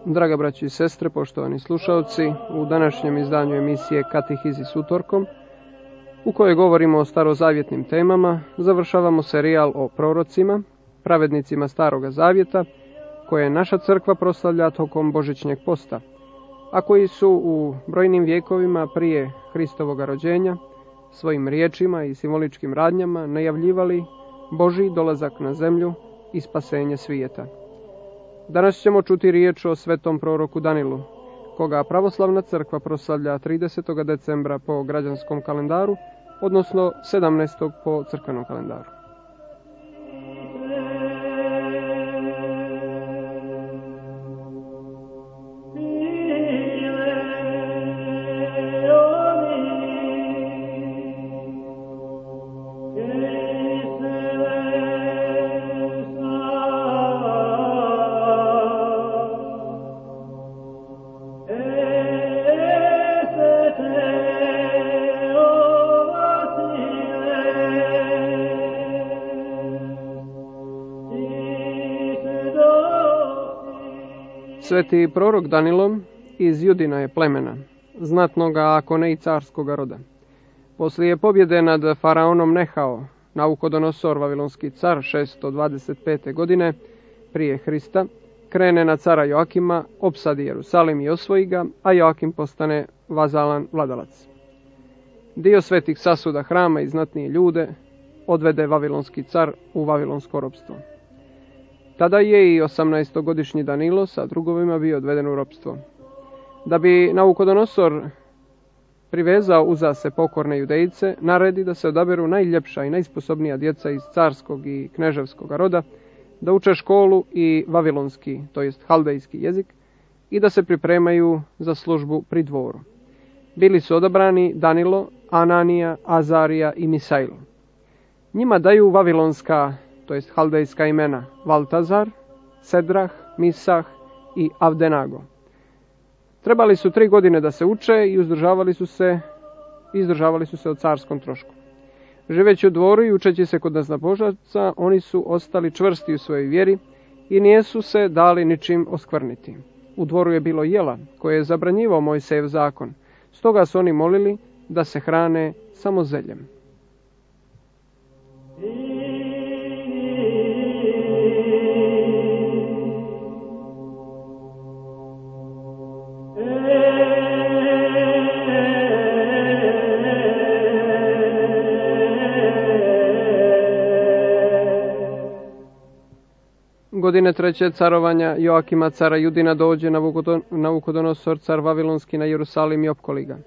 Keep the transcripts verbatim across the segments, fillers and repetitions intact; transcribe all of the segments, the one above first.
Draga braći i sestre, poštovani slušalci, u današnjem izdanju emisije Katehizi s utorkom, u kojoj govorimo o starozavjetnim temama, završavamo serijal o prorocima, pravednicima Staroga Zavjeta, koje naša crkva proslavlja tokom Božićnjeg posta, a koji su u brojnim vjekovima prije Hristovoga rođenja svojim riječima i simboličkim radnjama najavljivali Božji dolazak na zemlju i spasenje svijeta. Danas ćemo čuti riječ o svetom proroku Danilu, koga pravoslavna crkva proslavlja tridesetog decembra po građanskom kalendaru, odnosno sedamnaestog po crkvenom kalendaru. Sveti prorok Danilo iz Judina je plemena, znatnoga ako ne i carskoga roda. Poslije pobjede nad faraonom Nehao, Naukodonosor, vavilonski car, šesto dvadeset pete godine prije Hrista, krene na cara Joakima, opsadi Jerusalim i osvoji ga, a Joakim postane vazalan vladalac. Dio svetih sasuda hrama i znatnije ljude odvede vavilonski car u vavilonsko ropstvo. Tada je i osamnaestogodišnji Danilo sa drugovima bio odveden u ropstvo. Da bi Naukodonosor privezao uza se pokorne Judejce, naredi da se odaberu najljepša i najsposobnija djeca iz carskog i kneževskog roda, da uče školu i vavilonski, to jest haldejski jezik, i da se pripremaju za službu pri dvoru. Bili su odabrani Danilo, Ananija, Azarija i Misail. Njima daju vavilonska, to jest haldejska imena Valtazar, Sedrah, Misah i Avdenago. Trebali su tri godine da se uče i uzdržavali su se, izdržavali su se o carskom trošku. Živeći u dvoru i učeći se kod naznabožaca, oni su ostali čvrsti u svojoj vjeri i nijesu se dali ničim oskvrniti. U dvoru je bilo jela koje je zabranjivao Mojsejev zakon, stoga su oni molili da se hrane samo zeljem. Godine treće carovanja Joakima cara Judina dođe Naukodonosor car vavilonski na Jerusalim i opkoli ga.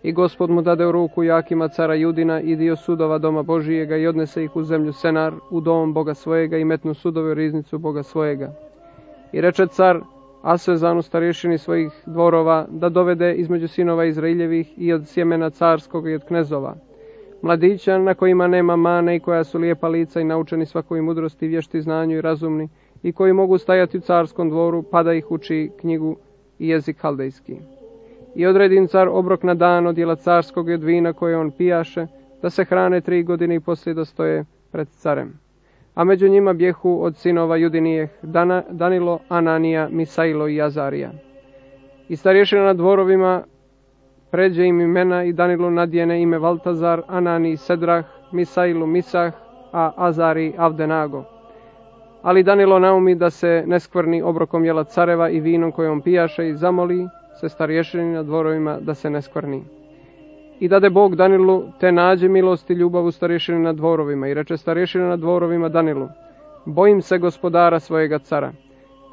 I Gospod mu dade u ruku Joakima cara Judina i dio sudova doma Božijega i odnese ih u zemlju Senar, u dom Boga svojega i metnu sudove u riznicu Boga svojega. I reče car Asvezanu starješini svojih dvorova da dovede između sinova Izraeljevih i od sjemena carskog i od knezova mladića na kojima nema mane i koja su lijepa lica i naučeni svakoj mudrosti, vješti znanju i razumni i koji mogu stajati u carskom dvoru pa da ih uči knjigu i jezik haldejski. I odredi im car obrok na dan od jela carskog i od vina koje on pijaše, da se hrane tri godine i poslije da stoje pred carem. A među njima bjehu od sinova Judinijeh Dana, Danilo, Ananija, Misailo i Azarija. I starješina na dvorovima pređe im imena i Danilo nadjene ime Valtazar, Anani, Sedrah, Misailu, Misah, a Azari, Avdenago. Ali Danilo naumi da se ne skvrni obrokom jela careva i vinom koje on pijaše i zamoli se starješini na dvorovima da se ne skvrni. I dade Bog Danilu te nađe milost i ljubav u starješini na dvorovima i reče starješina na dvorovima Danilu: bojim se gospodara svojega cara,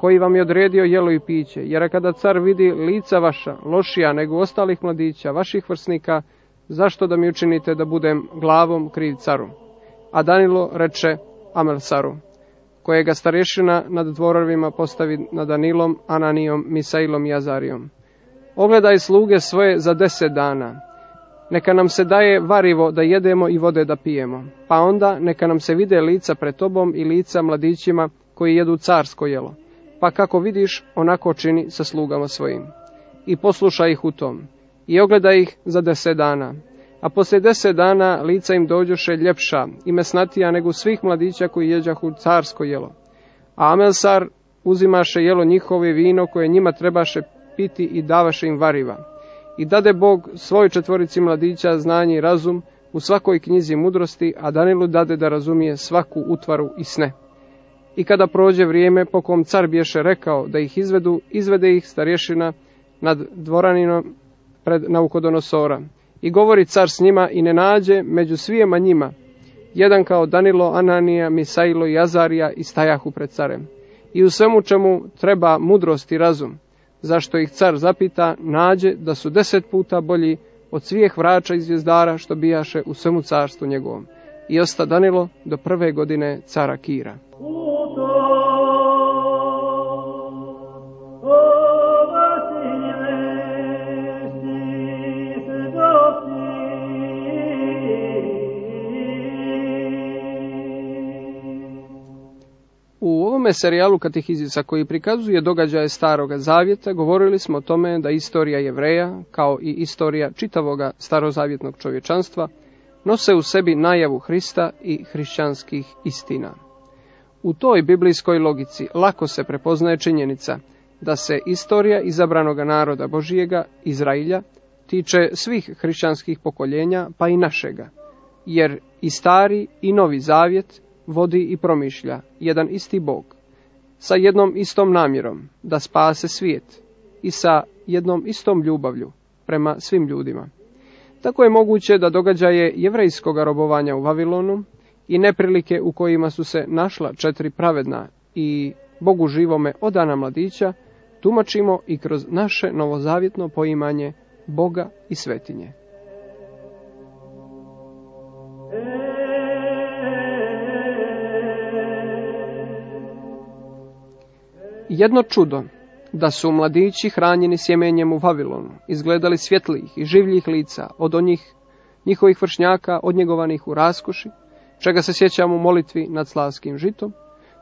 koji vam je odredio jelo i piće, jer kada car vidi lica vaša, lošija nego ostalih mladića, vaših vrsnika, zašto da mi učinite da budem glavom kriv caru? A Danilo reče Amelsaru, kojega starješina nad dvorovima postavi nad Danilom, Ananijom, Misailom i Azarijom: ogledaj sluge svoje za deset dana, neka nam se daje varivo da jedemo i vode da pijemo, pa onda neka nam se vide lica pred tobom i lica mladićima koji jedu carsko jelo, pa kako vidiš, onako čini sa slugama svojim. I poslušaj ih u tom, i ogledaj ih za deset dana. A poslije deset dana lica im dođoše ljepša i mesnatija nego svih mladića koji jeđahu carsko jelo. A Amelsar uzimaše jelo njihove vino koje njima trebaše piti i davaše im variva. I dade Bog svoj četvorici mladića znanje i razum u svakoj knjizi mudrosti, a Danilu dade da razumije svaku utvaru i sne. I kada prođe vrijeme po kom car bješe rekao da ih izvedu, izvede ih starješina nad dvoraninom pred Naukodonosora. I govori car s njima i ne nađe među svijema njima jedan kao Danilo, Ananija, Misailo i Azarija i stajahu pred carem. I u svemu čemu treba mudrost i razum, zašto ih car zapita, nađe da su deset puta bolji od svih vrača i zvijezdara što bijaše u svemu carstvu njegovom. I osta Danilo do prve godine cara Kira. U ovome serijalu Katehizisa koji prikazuje događaje Staroga Zavjeta, govorili smo o tome da istorija Jevreja, kao i istorija čitavoga starozavjetnog čovječanstva, nose u sebi najavu Hrista i hrišćanskih istina. U toj biblijskoj logici lako se prepoznaje činjenica da se istorija izabranoga naroda Božijega, Izrailja, tiče svih hrišćanskih pokoljenja, pa i našega, jer i Stari i Novi Zavjet vodi i promišlja jedan isti Bog, sa jednom istom namjerom da spase svijet i sa jednom istom ljubavlju prema svim ljudima. Tako je moguće da događaje jevrejskog robovanja u Vavilonu i neprilike u kojima su se našla četiri pravedna i Bogu živome odana mladića, tumačimo i kroz naše novozavjetno poimanje Boga i svetinje. Jedno čudo, da su mladići hranjeni sjemenjem u Vavilonu, izgledali svjetlijih i življih lica od onih njihovih vršnjaka odnjegovanih u raskoši, čega se sjećamo u molitvi nad slavskim žitom,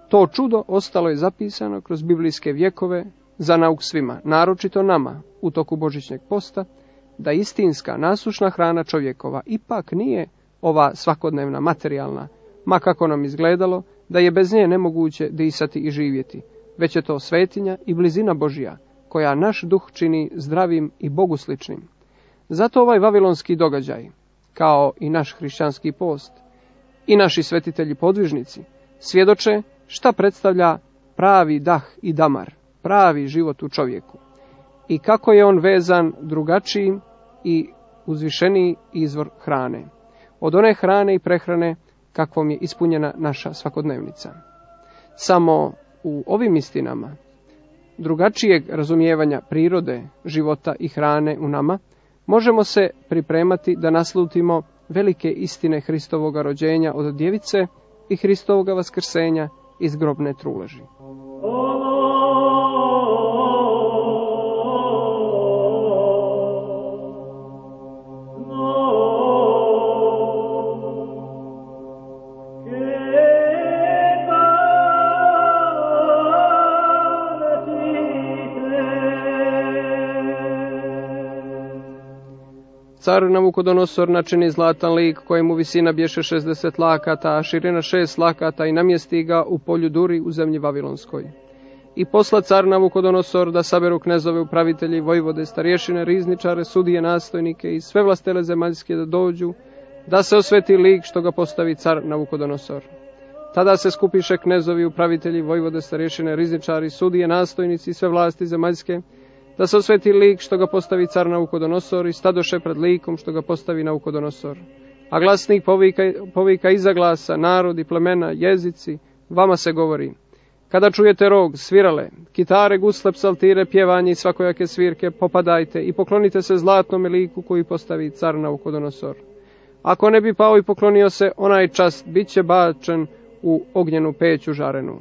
to čudo ostalo je zapisano kroz biblijske vjekove za nauk svima, naročito nama u toku božićnjeg posta, da istinska nasušna hrana čovjekova ipak nije ova svakodnevna materijalna, ma kako nam izgledalo da je bez nje nemoguće disati i živjeti, već je to svetinja i blizina Božja, koja naš duh čini zdravim i Bogu sličnim. Zato ovaj vavilonski događaj, kao i naš hrišćanski post, i naši svetitelji podvižnici, svjedoče šta predstavlja pravi dah i damar, pravi život u čovjeku, i kako je on vezan drugačiji i uzvišeniji izvor hrane, od one hrane i prehrane kakvom je ispunjena naša svakodnevnica. Samo u ovim istinama, drugačijeg razumijevanja prirode, života i hrane u nama, možemo se pripremati da naslutimo velike istine Hristovoga rođenja od djevice i Hristovoga vaskrsenja iz grobne truleži. Car Navukodonosor načini zlatan lik kojemu visina bješe šezdeset lakata, a širina šest lakata i namjesti ga u polju Duri u zemlji Vavilonskoj. I posla car Navukodonosor da saberu knezove, upravitelji, vojvode, starješine, rizničare, sudije, nastojnike i sve vlastele zemaljske da dođu, da se osveti lik što ga postavi car Navukodonosor. Tada se skupiše knezovi, upravitelji, vojvode, starješine, rizničari, sudije, nastojnici i sve vlasti zemaljske, da se osveti lik što ga postavi car Navukodonosor i stadoše pred likom što ga postavi Navukodonosor. A glasnik povika, povika iza glasa, narodi, plemena, jezici, vama se govori. Kada čujete rog, svirale, kitare, gusle, psaltire, pjevanje i svakojake svirke, popadajte i poklonite se zlatnome liku koji postavi car Navukodonosor. Ako ne bi pao i poklonio se, onaj čas bit će bačen u ognjenu peću žarenu.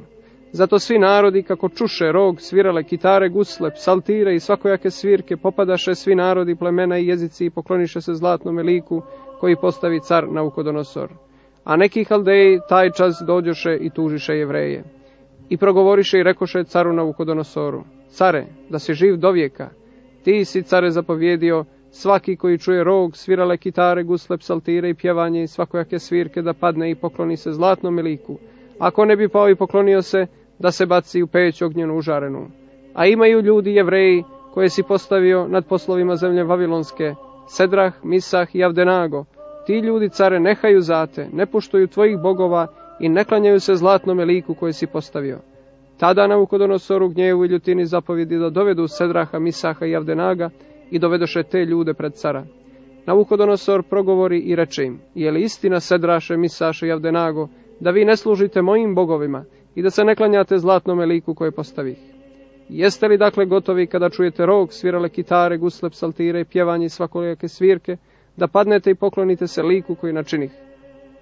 Zato svi narodi, kako čuše rog, svirale, kitare, gusle, psaltire i svakojake svirke, popadaše svi narodi, plemena i jezici i pokloniše se zlatnome liku koji postavi car Navukodonosor. A neki haldeji taj čas dođoše i tužiše Jevreje. I progovoriše i rekoše caru Navukodonosoru, care, da si živ do vijeka, ti si, care, zapovjedio, svaki koji čuje rog, svirale, kitare, gusle, psaltire i pjevanje i svakojake svirke da padne i pokloni se zlatnome liku. Ako ne bi pao i poklonio se, da se baci u peć ognjenu užarenu. A imaju ljudi Jevreji koje si postavio nad poslovima zemlje Vavilonske, Sedrah, Misah i Avdenago. Ti ljudi, care, nehaju zate, ne poštuju tvojih bogova i ne klanjaju se zlatnome liku koje si postavio. Tada Navukodonosoru gnjevu i ljutini zapovjedi da dovedu Sedraha, Misaha i Avdenaga i dovedoše te ljude pred cara. Navukodonosor progovori i reče im: je li istina, Sedraše, Misaše i Avdenago, da vi ne služite mojim bogovima i da se ne klanjate zlatnome liku koje postavih? Jeste li dakle gotovi kada čujete rog, svirale kitare, gusle, psaltire i pjevanje i svakolijake svirke, da padnete i poklonite se liku koji načinih?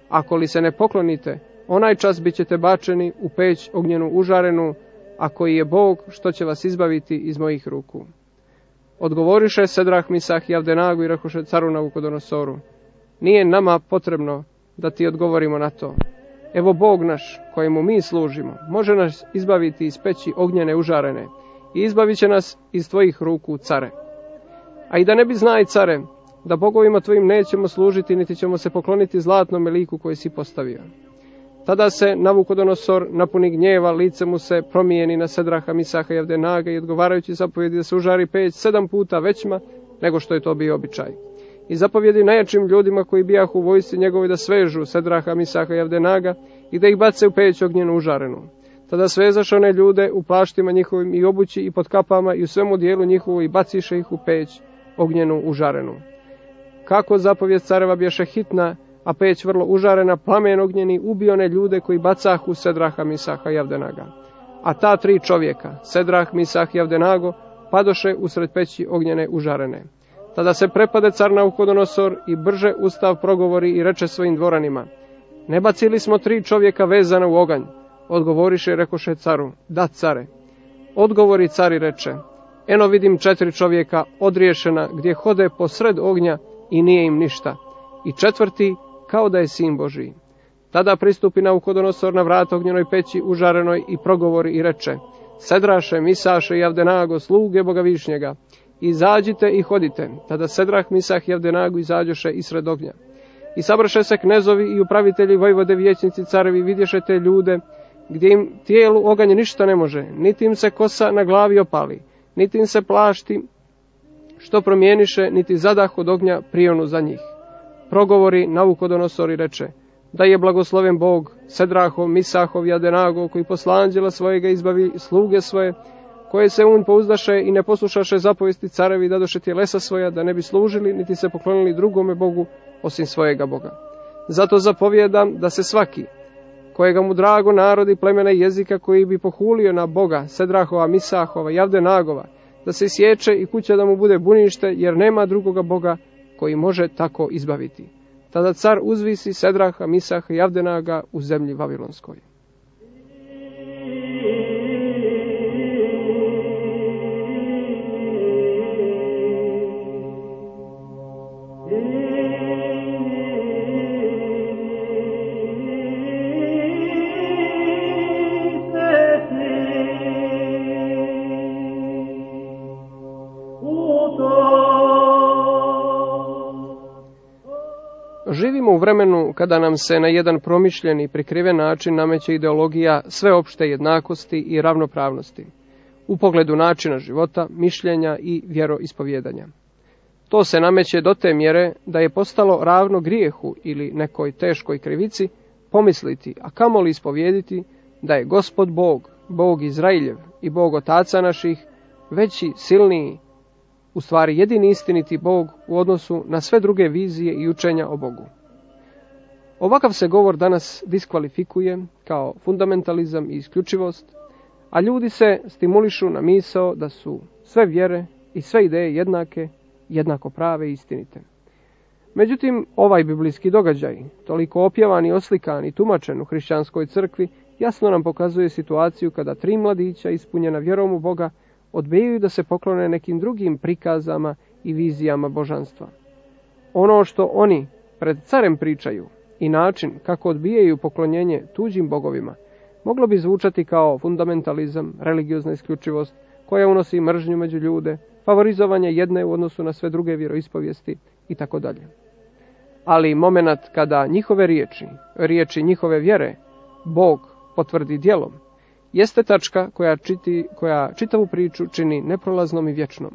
Ako li se ne poklonite, onaj čas bit ćete bačeni u peć ognjenu užarenu, a koji je Bog što će vas izbaviti iz mojih ruku. Odgovoriše Sedrah, Misah i Avdenago i rekoše caru Navukodonosoru: nije nama potrebno da ti odgovorimo na to. Evo Bog naš, kojemu mi služimo, može nas izbaviti iz peći ognjene užarene i izbavit će nas iz tvojih ruku, care. A i da ne bi znaj, care, da bogovima tvojim nećemo služiti, niti ćemo se pokloniti zlatnom liku koji si postavio. Tada se Navukodonosor napuni gnjeva, lice mu se promijeni na Sedraha, Misaha i Avdenaga i odgovarajući zapovjedi da se užari peć sedam puta većma nego što je to bio običaj. I zapovjedi najjačim ljudima koji bijahu u vojsci njegovi da svežu Sedraha, Misaha i Avdenaga i da ih bace u peć ognjenu užarenu. Tada svezaše one ljude u plaštima njihovim i obući i pod kapama i u svemu dijelu njihovu i baciše ih u peć ognjenu užarenu. Kako zapovjed careva bješe hitna, a peć vrlo užarena, plamen ognjeni ubio one ljude koji bacahu Sedraha, Misaha i Avdenaga. A ta tri čovjeka, Sedrah, Misah i Avdenago, padoše usred peći ognjene užarene. Tada se prepade car Navukodonosor i brže ustav progovori i reče svojim dvoranima: ne bacili smo tri čovjeka vezana u oganj? Odgovoriše i rekoše caru: da, care. Odgovori cari reče: eno vidim četiri čovjeka odriješena gdje hode posred ognja i nije im ništa. I četvrti kao da je sin Božiji. Tada pristupi Navukodonosor na vrat ognjenoj peći užarenoj i progovori i reče: Sedraše, Misaše i Avdenago, sluge Boga Višnjega, izađite i hodite. Tada Sedrah, Misah i Avdenago izađoše isred ognja. I sabraše se knezovi i upravitelji, vojvode, vijećnici, carevi, vidješe te ljude, gdje im tijelu oganj ništa ne može, niti im se kosa na glavi opali, niti im se plašti što promijeniše, niti zadah od ognja prionu za njih. Progovori Navukodonosor i reče: da je blagosloven Bog, Sedrahov, Misahov i Avdenago, koji posla anđela svojega izbavi sluge svoje, koje se un pouzdaše i ne poslušaše zapovesti carevi, dadoše tjelesa svoja, da ne bi služili, niti se poklonili drugome Bogu, osim svojega Boga. Zato zapovjedam da se svaki, kojega mu drago narod i plemena i jezika, koji bi pohulio na Boga, Sedrahova, Misahova i Avdenagova, da se sječe i kuća da mu bude bunište, jer nema drugoga Boga koji može tako izbaviti. Tada car uzvisi Sedraha, Misaha i Avdenaga u zemlji Vavilonskoj. Živimo u vremenu kada nam se na jedan promišljen i prikriven način nameće ideologija sveopšte jednakosti i ravnopravnosti u pogledu načina života, mišljenja i vjeroispovjedanja. To se nameće do te mjere da je postalo ravno grijehu ili nekoj teškoj krivici pomisliti, a kamoli ispovjediti, da je Gospod Bog, Bog Izrailjev i Bog otaca naših, veći, silniji, u stvari jedini istiniti Bog u odnosu na sve druge vizije i učenja o Bogu. Ovakav se govor danas diskvalifikuje kao fundamentalizam i isključivost, a ljudi se stimulišu na misao da su sve vjere i sve ideje jednake, jednako prave i istinite. Međutim, ovaj biblijski događaj, toliko opjevan i oslikan i tumačen u hrišćanskoj crkvi, jasno nam pokazuje situaciju kada tri mladića ispunjena vjerom u Boga odbijaju da se poklone nekim drugim prikazama i vizijama božanstva. Ono što oni pred carem pričaju i način kako odbijaju poklonjenje tuđim bogovima moglo bi zvučati kao fundamentalizam, religiozna isključivost koja unosi mržnju među ljude, favorizovanje jedne u odnosu na sve druge vjeroispovijesti itd. Ali momenat kada njihove riječi, riječi njihove vjere, Bog potvrdi djelom jeste tačka koja, čiti, koja čitavu priču čini neprolaznom i vječnom.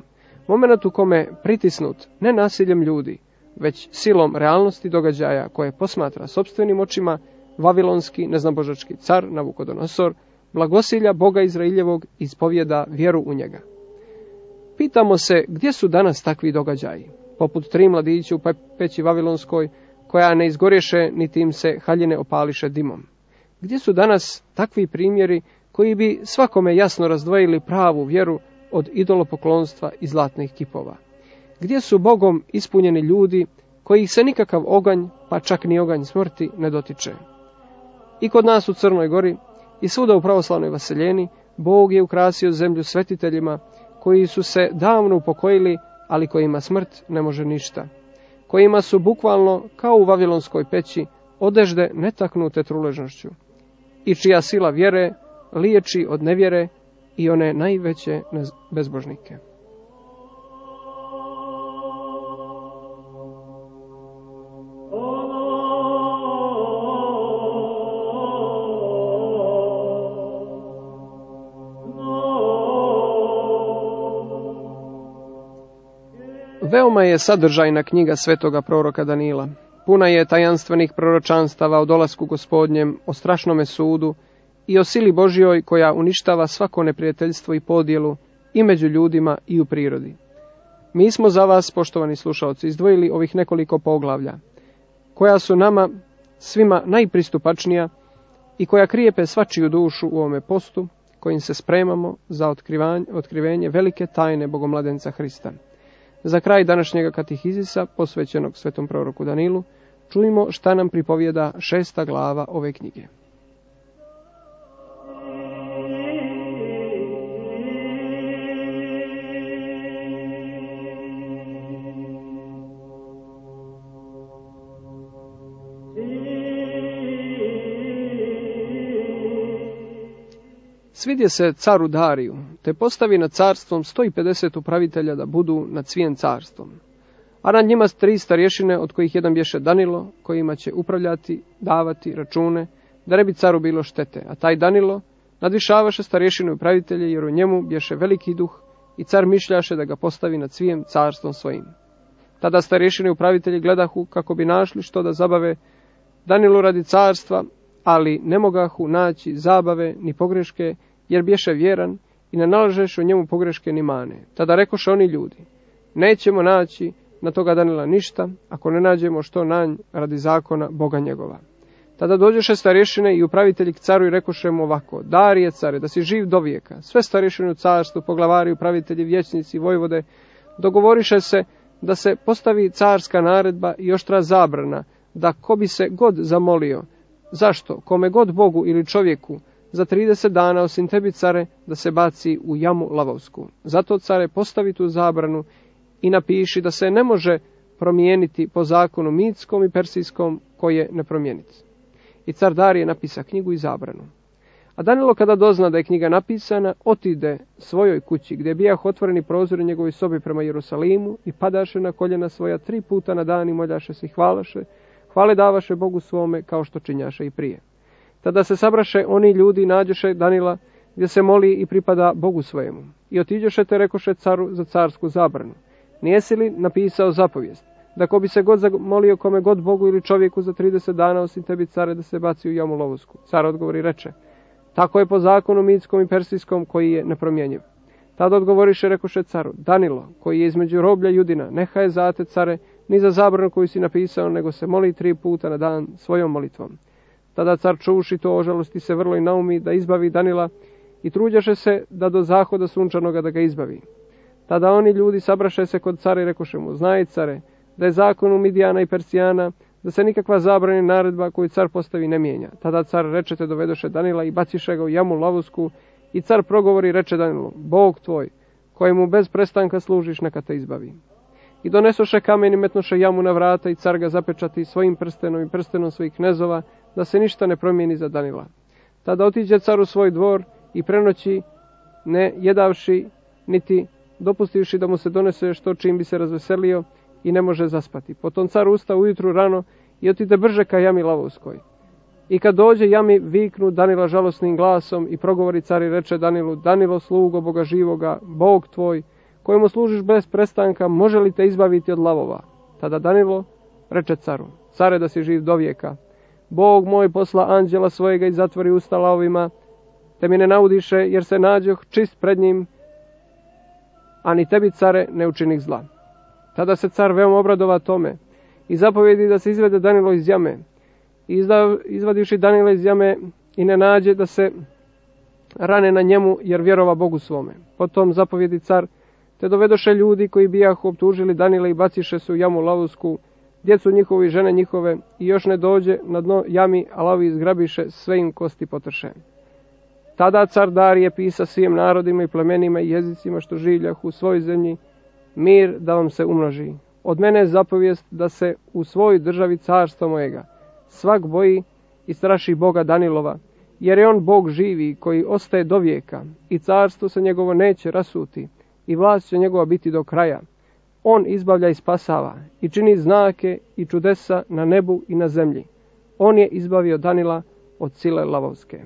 Moment u kome pritisnut ne nasiljem ljudi, već silom realnosti događaja koje posmatra sopstvenim očima, vavilonski neznabožački car Navukodonosor blagosilja Boga Izraeljevog i ispovijeda vjeru u njega. Pitamo se gdje su danas takvi događaji, poput tri mladići u peći vavilonskoj, koja ne izgorješe niti im se haljine opališe dimom. Gdje su danas takvi primjeri koji bi svakome jasno razdvojili pravu vjeru od idolopoklonstva i zlatnih kipova? Gdje su Bogom ispunjeni ljudi kojih se nikakav oganj, pa čak ni oganj smrti, ne dotiče? I kod nas u Crnoj Gori i svuda u pravoslavnoj vaseljeni Bog je ukrasio zemlju svetiteljima koji su se davno upokojili, ali kojima smrt ne može ništa, kojima su bukvalno kao u vavilonskoj peći odežde netaknute truležnošću i čija sila vjere liječi od nevjere i one najveće bezbožnike. Veoma je sadržajna knjiga svetoga proroka Danila. Puna je tajanstvenih proročanstava o dolasku Gospodnjem, o strašnome sudu i o sili Božjoj koja uništava svako neprijateljstvo i podjelu i među ljudima i u prirodi. Mi smo za vas, poštovani slušalci, izdvojili ovih nekoliko poglavlja, koja su nama svima najpristupačnija i koja krijepe svačiju dušu u ovome postu, kojim se spremamo za otkrivenje velike tajne Bogomladenca Hrista. Za kraj današnjega katehizisa, posvećenog svetom proroku Danilu, čujmo šta nam pripovijeda šesta glava ove knjige. Svidje se caru Dariju, te postavi nad carstvom sto pedeset upravitelja da budu nad svijem carstvom. A nad njima tri starješine, od kojih jedan bješe Danilo, kojima će upravljati, davati račune, da ne bi caru bilo štete. A taj Danilo nadvišavaše starješine upravitelje, jer u njemu bješe veliki duh, i car mišljaše da ga postavi nad svijem carstvom svojim. Tada starješine upravitelji gledahu kako bi našli što da zabave Danilu radi carstva, ali ne mogahu naći zabave ni pogreške, jer bješe vjeran i ne nalažeš u njemu pogreške ni mane. Tada rekoše oni ljudi: nećemo naći na toga Danila ništa, ako ne nađemo što nanj radi zakona Boga njegova. Tada dođeše starješine i upravitelji k caru i rekoše mu ovako: Darije care, da si živ do vijeka. Sve starješine u carstvu, poglavari, upravitelji, vijećnici, vojvode, dogovoriše se da se postavi carska naredba i oštra zabrana, da ko bi se god zamolio, zašto, kome god Bogu ili čovjeku, za trideset dana osim tebi, care, da se baci u jamu lavovsku. Zato, care, postavi tu zabranu i napiši da se ne može promijeniti po zakonu mitskom i persijskom, koje ne promijeniti. I car Darije napisa knjigu i zabranu. A Danilo, kada dozna da je knjiga napisana, otide svojoj kući, gdje bijah otvoreni prozori njegovoj sobi prema Jerusalimu, i padaše na koljena svoja tri puta na dan i moljaše se i hvalaše, hvale davaše Bogu svome, kao što činjaše i prije. Tada se sabraše oni ljudi i nađoše Danila, gdje se moli i pripada Bogu svojemu. I otiđoše te rekoše caru za carsku zabranu: nijesi li napisao zapovijest, da ko bi se god zamolio kome god Bogu ili čovjeku za trideset dana osim tebi, care, da se baci u jamu lovosku? Car odgovori reče: tako je po zakonu mitskom i persijskom, koji je nepromjenjiv. Tada odgovoriše rekoše caru: Danilo, koji je između roblja Judina, neha je zate, care, ni za zabranu koju si napisao, nego se moli tri puta na dan svojom molitvom. Tada car čuši to, ožalosti se vrlo i naumi da izbavi Danila i truđaše se da do zahoda sunčanoga da ga izbavi. Tada oni ljudi sabraše se kod cara i rekoše mu: znaj, care, da je zakon u Midijana i Persijana, da se nikakva zabrana naredba koju car postavi ne mijenja. Tada car reče te dovedoše Danila i baciše ga u jamu lavusku, i car progovori reče Danilu: Bog tvoj, kojemu bez prestanka služiš, neka te izbavi. I donesoše kamen i metnoše jamu na vrata, i car ga zapečati svojim prstenom i prstenom svojih knezova, da se ništa ne promijeni za Danila. Tada otiđe car u svoj dvor i prenoći, ne jedavši niti dopustivši da mu se donese što čim bi se razveselio, i ne može zaspati. Potom car usta ujutru rano i otide brže ka jami lavovskoj. I kad dođe jami, viknu Danila žalosnim glasom i progovori car i reče Danilu: Danilo, slugo Boga živoga, Bog tvoj, kojemu služiš bez prestanka, može li te izbaviti od lavova? Tada Danilo reče caru: Care, da si živ do vijeka. Bog moj posla anđela svojega i zatvori usta lavovima, te mi ne naudiše, jer se nađoh čist pred njim, a ni tebi, care, ne učinih zla. Tada se car veoma obradova tome i zapovjedi da se izvede Danilo iz jame. I izvadivši Danila iz jame i ne nađe da se rane na njemu, jer vjerova Bogu svome. Potom zapovjedi car, te dovedoše ljudi koji bijahu optužili Danila i baciše se u jamu lavovsku, djecu njihovu i žene njihove, i još ne dođe na dno jami, a lavi izgrabiše, sve im kosti potrše. Tada car Darije pisa svim narodima i plemenima i jezicima što življah u svojoj zemlji: mir da vam se umnoži. Od mene je zapovijest da se u svojoj državi carstva mojega svak boji i straši Boga Danilova, jer je on Bog živi koji ostaje do vijeka, i carstvo se njegovo neće rasuti, i vlast će njegova biti do kraja. On izbavlja i spasava, i čini znake i čudesa na nebu i na zemlji. On je izbavio Danila od sile lavovske.